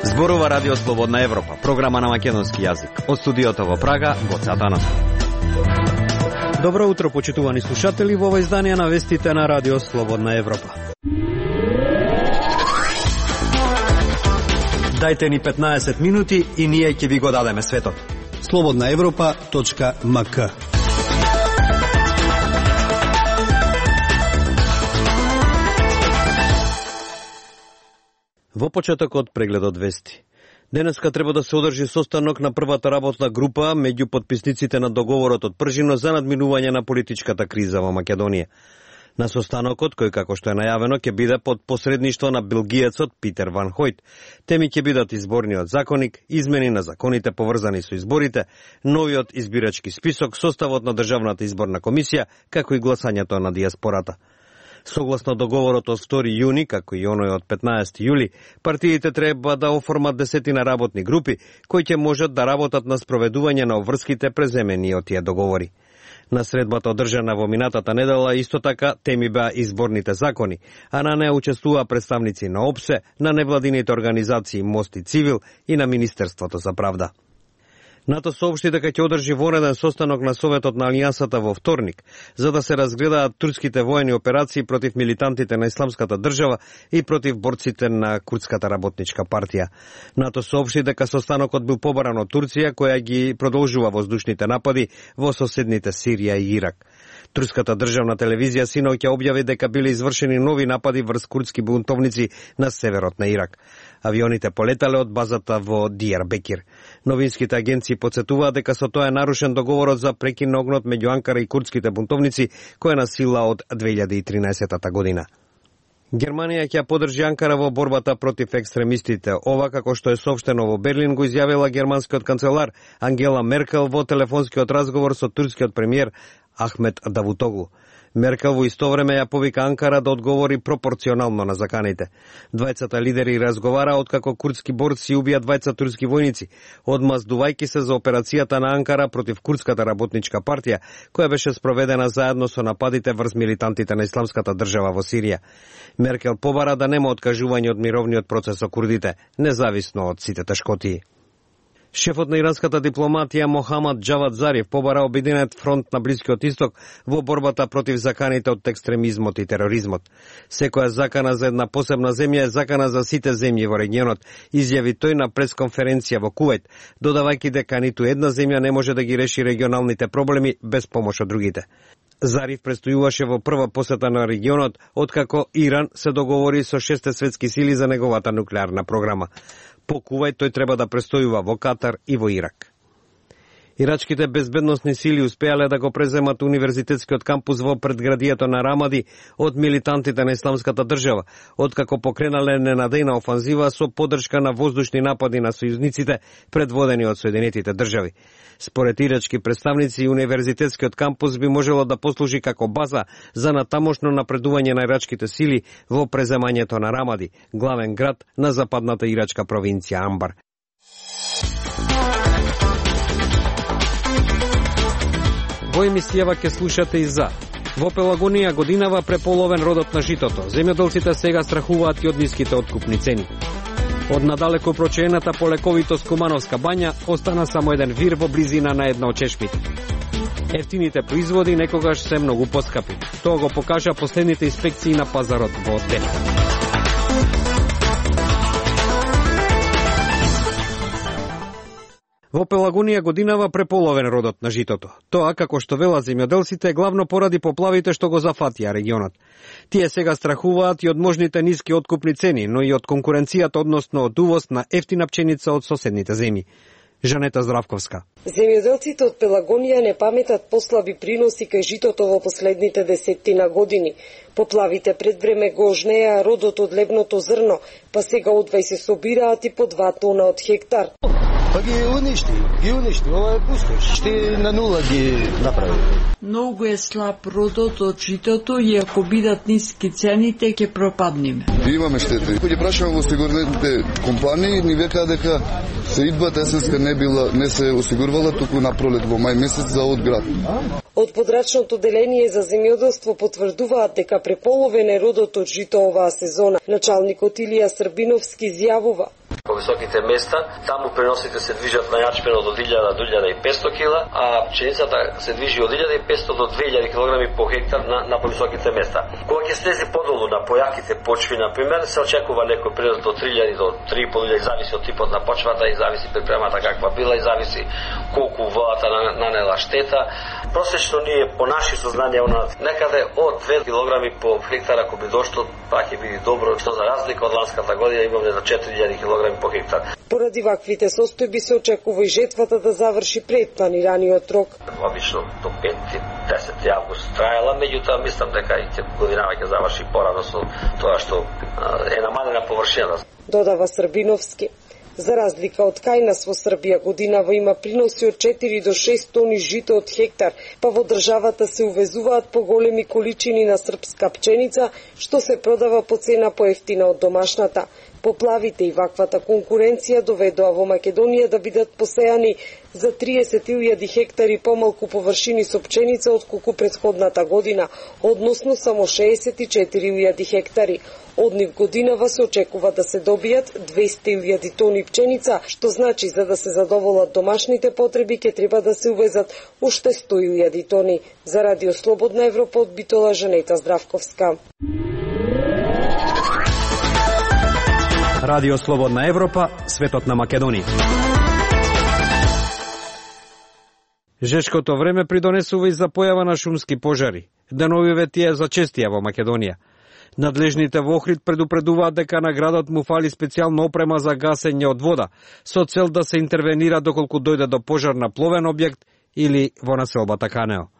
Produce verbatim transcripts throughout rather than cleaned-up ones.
Зборува Радио Слободна Европа, програма на македонски јазик. Од студиото во Прага, Гоце Атанасов. Добро утро, почитувани слушатели, во ова издание на вестите на Радио Слободна Европа. Дајте ни петнаесет минути и ние ќе ви го дадеме светот. слободна европа точка ем ка. Во почетокот прегледот вести. Денеска треба да се одржи состанок на првата работна група меѓу потписниците на договорот од Пржино за надминување на политичката криза во Македонија. На состанокот, кој како што е најавено, ќе биде под посредништво на белгиецот Питер Ван Хојт. Теми ќе бидат изборниот законник, измени на законите поврзани со изборите, новиот избирачки список, составот на Државната изборна комисија, како и гласањето на диаспората. Согласно договорот од втори јуни, како и оној од петнаесети јули, партиите треба да оформат десетина работни групи, кои ќе можат да работат на спроведување на обврските преземени од тие договори. На средбата одржана во минатата недела исто така теми беа изборните закони, а на неа учествуваа представници на ОПСЕ, на невладините организации Мост и Цивил и на Министерството за правда. НАТО соопшти дека ќе одржи вонреден состанок на Советот на Алијансата во вторник, за да се разгледаат турските воени операции против милитантите на Исламската држава и против борците на Курдската работничка партија. НАТО соопшти дека состанокот бил побаран од Турција, која ги продолжува воздушните напади во соседните Сирија и Ирак. Турската државна телевизија синоќа објави дека биле извршени нови напади врз курдски бунтовници на северот на Ирак. Авионите полетале од базата во Дијарбекир. Новинските агенции подсетуваат дека со тоа е нарушен договорот за прекин на огнот меѓу Анкара и курдските бунтовници, кој е на сила од две илјади и тринаесета година. Германија ќе поддржи Анкара во борбата против екстремистите. Ова, како што е соопштено во Берлин, го изјавила германскиот канцелар Ангела Меркел во телефонскиот разговор со турскиот премиер Ахмет Давутоглу. Меркел во исто време ја повика Анкара да одговори пропорционално на заканите. Двајцата лидери разговара откако курдски борци убија двајца турски војници, одмаздувајќи се за операцијата на Анкара против Курдската работничка партија, која беше спроведена заедно со нападите врз милитантите на Исламската држава во Сирија. Меркел побара да нема откажување од мировниот процес со курдите, независно од сите тешкотии. Шефот на иранската дипломатија Мохамад Джавад Зариф побара Обединет фронт на Блискиот Исток во борбата против заканите од екстремизмот и тероризмот. Секоја закана за една посебна земја е закана за сите земји во регионот, изјави тој на пресконференција во Кувајт, додавајќи дека ниту една земја не може да ги реши регионалните проблеми без помош од другите. Зариф престојуваше во прва посета на регионот, откако Иран се договори со шесте светски сили за неговата нуклеарна програма. По Кувајт тој треба да престојува во Катар и во Ирак. Ирачките безбедносни сили успеале да го преземат универзитетскиот кампус во предградието на Рамади од милитантите на Исламската држава, откако покренале ненадејна офанзива со поддршка на воздушни напади на сојузниците предводени од Соединетите држави. Според ирачки представници, универзитетскиот кампус би можело да послужи како база за натамошно напредување на ирачките сили во преземањето на Рамади, главен град на западната ирачка провинција Амбар. Во емисијава ќе слушате и за. Во Пелагонија годинава преполовен родот на житото. Земјоделците сега страхуваат и од ниските откупни цени. Од надалеко прочената полековитост Кумановска бања остана само еден вир во близина на една од чешмите. Ефтините производи некогаш се многу поскапи. Тоа го покажа последните инспекции на пазарот во Дели. Во Пелагонија годинава преполовен родот на житото. Тоа, како што велат земјоделците, главно поради поплавите што го зафатија регионот. Тие сега страхуваат и од можните ниски откупни цени, но и од конкуренцијата, односно од увоз на ефтина пченица од соседните земји. Жанета Здравковска. Земјоделците од Пелагонија не паметат послаби приноси кај житото во последните десеттина години. Поплавите пред време го ожнеа родот од лебното зрно, па сега одвај се собираат и по два тона од хектар. Па ги уништи, ги уништи, ова е пустош. Шти на нула ги направи. Многу е слаб родот од житото и ако бидат ниски цените, ќе пропадниме. Имаме штети. Кој ќе прашаме во осигурителните компании, ни века дека се идбата есенска не била, не се осигурувала туку на пролет во мај месец за од град. Од подрачното деление за земјоделство потврдуваат дека преполовен е родот од жито оваа сезона. Началникот Илија Србиновски изјавува: по високите места, таму преносите се движат на јачмено од илјада до илјада и петсто кила, а пшеницата се движи од илјада и петсто до две илјади килограми по хектар на, на повисоките места. Кога ќе слези подолу на појаките почви, на пример, се очекува некој пренос до три илјади до три и по илјади, зависи од типот на почвата и зависи припремата каква била и зависи колку водата нанела штета. Просечно ние по наши сознанија некаде од две килограми по хектар, ако би дошло, па ќе биде добро, што за разлика од ланската година имаме за четири илјади килограми по хектар. Поради ваквите состојби се очекува и жетвата да заврши пред планираниот рок. Обично до пети десети август траела, меѓутоа мислам дека и годинава ќе заврши порано со тоа што е намалена површина. Додава Србиновски. За разлика од кај нас во Србија годинава има приноси од четири до шест тони жито од хектар, па во државата се увезуваат поголеми количини на српска пченица, што се продава по цена поевтина од домашната. Поплавите и ваквата конкуренција доведоа во Македонија да бидат посејани за триесет илјади хектари помалку површини со пченица отколку претходната година, односно само шеесет и четири илјади хектари. Од нив годинава се очекува да се добијат двесте илјади тони пченица, што значи за да се задоволат домашните потреби ќе треба да се увезат уште сто илјади тони. За Радио Слободна Европа од Битола, Жанета Здравковска. Радио Слободна Европа, светот на Македонија. Жешкото време придонесува и за појава на шумски пожари. Деновиве тие зачестија во Македонија. Надлежните во Охрид предупредуваат дека на градот му фали специјална опрема за гасење од вода, со цел да се интервенира доколку дојде до пожар на пловен објект или во населбата Канео.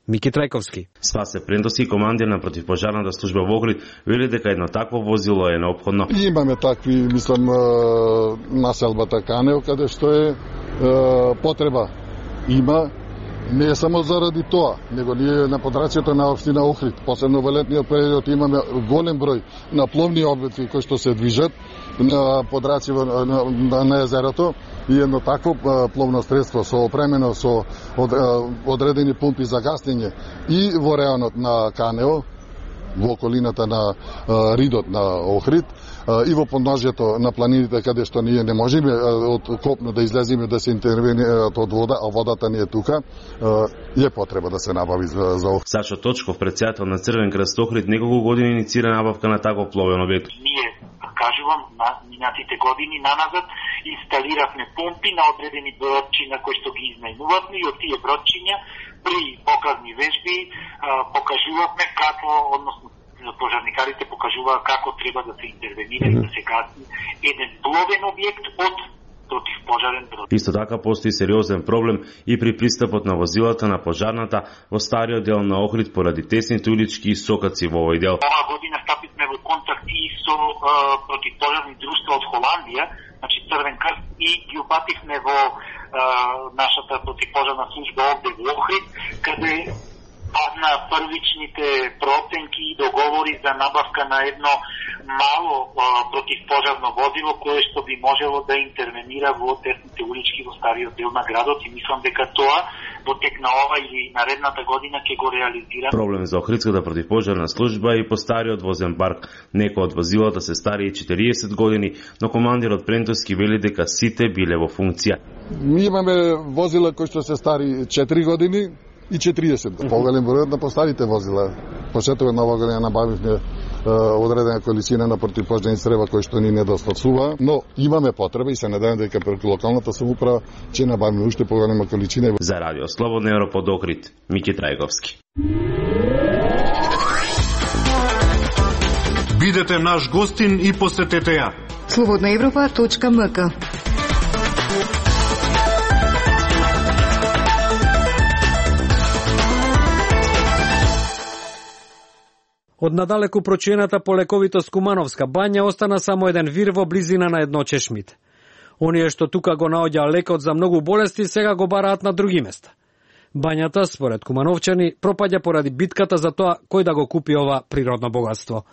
Мики Трајковски. Спасе Прендоски, командир на противпожарната служба во Охрид, вели дека едно такво возило е неопходно. Имаме такви, мислам, населбата Канео, каде што е потреба. Има, не е само заради тоа, него ние на подрачјето на општина Охрид, посебно во летниот период, имаме голем број на пловни објекти кои што се движат на подрачјево на, на, на езерото, и едно такво пловно средство со опремено со од, одредени пумпи за гаснење и во реонот на Канео, во околината на ридот на Охрид, и во подножјето на планините каде што ние не можеме од копно да излеземе да се интервенират од вода, а водата ни е тука, е потреба да се набави за, за Охрид. Сашо Точков, председател на Црвен крст Охрид, неколку години иницира набавка на таков пловен објект. Ние, кажувам, на минатите години наназад инсталиравме помпи на одредени бродчиња кои што ги изнајмувавме, и од тие бродчиња при показни вежби покажувавме како, односно пожарникарите покажуваа како треба да се интервенира mm-hmm. и да се гаси еден пловен објект од противпожарен брод. Исто така постои сериозен проблем и при пристапот на возилата на пожарната во стариот дел на Охрид поради тесните улички и сокаци во овој дел. Оваа година стапивме во контакт и со а, противпожарни друштва од Холандија, значи Црвен крст, и ги упативме во а, нашата противпожарна служба овде во Охрид, каде падна првичните проценки и договори за набавка на едно мало а, противпожарно возило кое што би можело да интервенира во тесните улички во стариот дел на градот, и мислам дека тоа во тек на ова или наредната година ќе го реализира. Проблем за Охридската противпожарна служба и по стариот возен парк. Некои од возилата се стари четириесет години, но командирот Прентоски вели дека сите биле во функција. Ми имаме возила кои што се стари четири години и четириесет. Поголем бројот на постарите возила. Почетокот на оваа година набавивме одредена количина на противпожарни средства кои што ни недостатува, но имаме потреба и се надевам дека преку локалната самоуправа ќе набавиме уште поголема количина. За Радио Слободна Европа од Охрид, Мики Трајковски. Бидете наш гостин и посетете ја. слободна европа точка ем ка. Од надалеку прочиената по лековитост Кумановска бања остана само еден вир во близина на едно чешмите. Оние што тука го наоѓа лекот за многу болести сега го бараат на други места. Бањата, според кумановчани, пропаѓа поради битката за тоа кој да го купи ова природно богатство.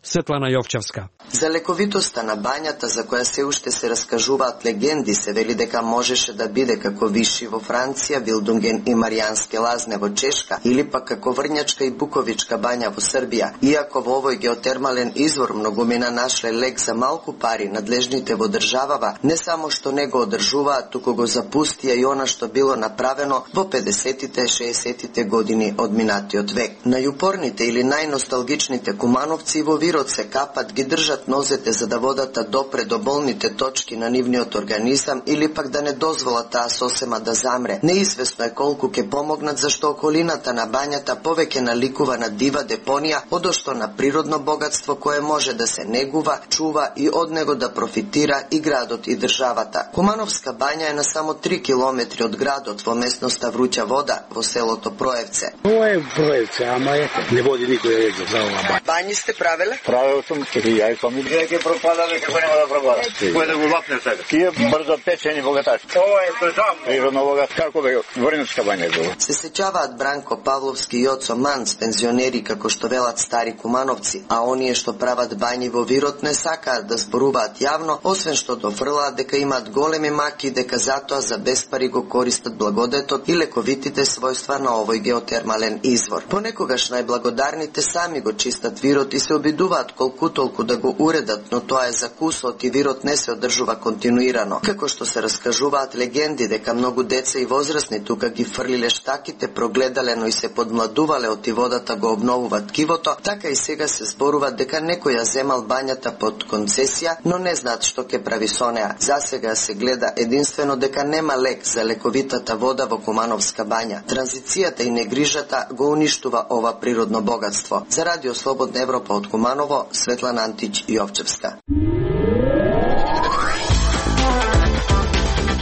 Светлана Јовчевска. За лековитоста на бањата, за која се уште се раскажуваат легенди, се вели дека можеше да биде како Виши во Франција, Вилдунген и Маријанске лазне во Чешка, или пак како Врњачка и Буковичка бања во Србија. Иако во овој геотермален извор многумина нашле лек за малку пари, надлежните во државава не само што не го одржуваат, туку го запустија и она што било направено во педесетите, шеесетите години од минатиот век. Најупорните или најносталгичните кумановци во вирот се капат, ги држат нозете за да водата допре до болните точки на нивниот организам или пак да не дозволат таа сосема да замре. Неизвестно е колку ќе помогнат, зашто околината на бањата повеќе наликува на дива депонија, одошто на природно богатство кое може да се негува, чува и од него да профитира и градот и државата. Кумановска бања е на само три километри од градот во местноста Вруќа вода во селото Проевце. Ова е Проевце, ама ете, не води никој ред за ова бања. Бањи сте правеле? Правел сум и ја и фамилија. Веќе пропадаме како нема да пропада. Кој да го лапне сега? Тие брзо печени богаташи. Ова е прежам. Природно богат, како бе Врничка бања е. Се сеќаваат Бранко Павловски и Јоцо Манц, пензионери како што велат стари кумановци, а оние што прават бањи во вирот не сакаат да зборуваат јавно, освен што дофрлаат дека имаат големи маки, дека затоа за без пари го користат благодетот и лековитите својства на овој геотермален извор. Понекогаш најблагодарните сами го чистат вирот и се обидуваат колку толку да го уредат, но тоа е закусот и вирот не се одржува континуирано. Како што се раскажуваат легенди дека многу деца и возрастни тука ги фрлиле штаките, прогледале, но и се подмладувале од водата го обновуваат кивото, така и сега се зборува дека некој ја земал бањата под концесија, но не знаат што ќе прави со неа. За сега се гледа единствено дека нема лек за лековитата вода во Кумановска бања. Транзицијата и негрижата го уништува ова природно богатство. За Радио Слободна Европа од Куманово, Светлана Антич Јовчевска.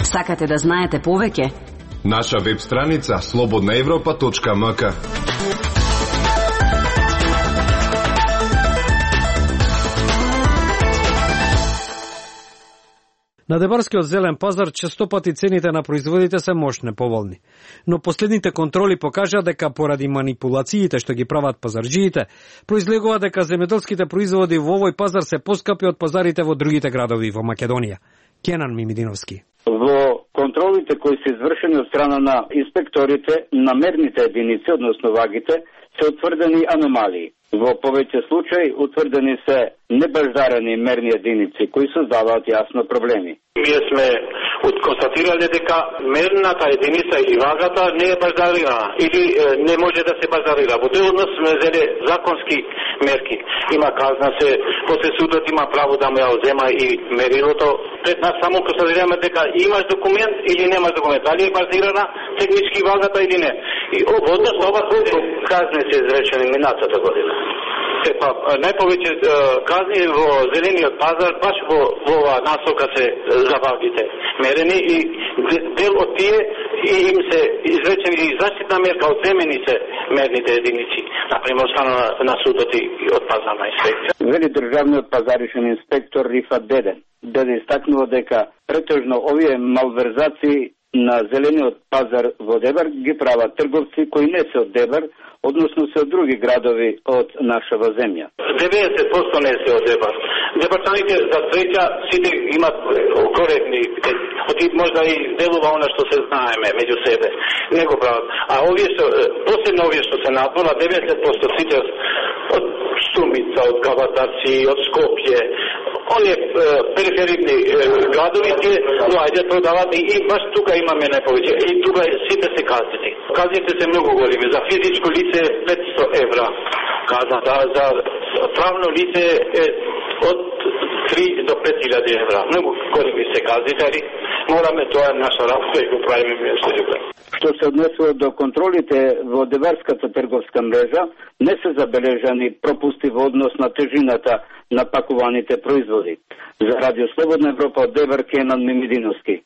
Сакате да знаете повеќе? Наша веб страница слободна европа точка ем ка. На Дебарскиот зелен пазар често пати цените на производите се мощно поволни. Но последните контроли покажаа дека поради манипулациите што ги прават пазарџиите, произлегува дека земјоделските производи во овој пазар се поскапи од пазарите во другите градови во Македонија. Кенан Мимидиновски. Во контролите кои се извршени од страна на инспекторите на мерните единици, односно вагите, се утврдени аномалии. Во повеќе случаи утврдени се небаждарени мерни единици кои создаваат јасно проблеми. Ние сме констатирале дека мерната единица или вагата не е баждарирана или е, не може да се баждарира. Во тој однос сме взеле законски мерки. Има казна се, после судот има право да му ја одзема и мерилото. Пред нас само констатираме дека имаш документ или немаш документ. Дали е баждарирана технички вагата или не. И во однос ова колку казни се изречени минатата година. Епа, најповеќе казни во зелениот пазар, баш во, во ова насока се за вагите мерени и дел од тие и им се изречени и заштитна мерка, одземени се мерните единици, например, страна на, на судот и од пазарна инспекција. Вели државниот пазаришен инспектор Рифат Деден. Деден истакнува дека претежно овие малверзации на зелениот пазар во Дебар ги прават трговци кои не се од Дебар, односно се од други градови од нашава земја. деветдесет проценти не се од Дебар. Дебарчаните за среќа сите имат коректни, оти можда и делува она што се знаеме меѓу себе. Не го прават. А овие што посебно овие што се надвора, деветдесет проценти сите од Стумица, од Каватарци, од Скопје, оние периферни градови тие доаѓаат продават и, и баш тука имаме најповеќе. И тука сите се казни. Казните се многу големи. За физичко лице петсто евра казната, за правно лице е од три до пет илјади евра. Многу големи се казни, мораме тоа е наша работа и го правиме место љубе. Што се однесува до контролите во Дебарската трговска мрежа, не се забележани пропусти во однос на тежината на пакуваните производи. За Радио Слободна Европа од Дебар, Кенан Мимидиновски.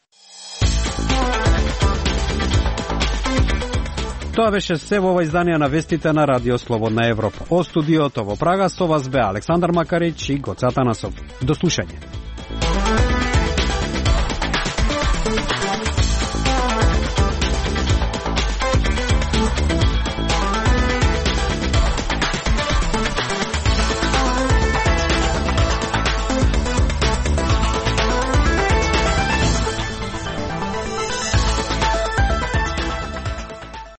Тоа беше се во ова издание на вестите на Радио Слободна Европа. О студиото во Прага со вас бе Александар Макарич и Гоца Танасов. До слушање.